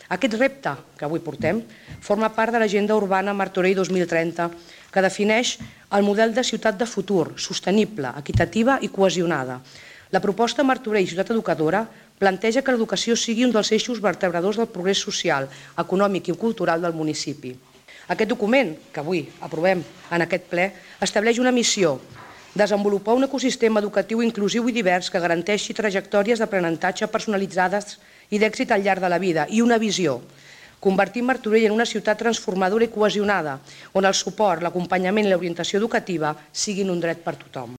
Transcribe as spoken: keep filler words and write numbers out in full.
Aquest repte que avui portem forma part de l'Agenda Urbana Martorell dos mil trenta, que defineix el model de ciutat de futur, sostenible, equitativa i cohesionada. La proposta Martorell Ciutat Educadora planteja que l'educació sigui un dels eixos vertebradors del progrés social, econòmic i cultural del municipi. Aquest document, que avui aprovem en aquest ple, estableix una missió: desenvolupar un ecosistema educatiu inclusiu i divers que garanteixi trajectòries d'aprenentatge personalitzades i d'èxit al llarg de la vida, i una visió: convertir Martorell en una ciutat transformadora i cohesionada, on el suport, l'acompanyament i l'orientació educativa siguin un dret per a tothom.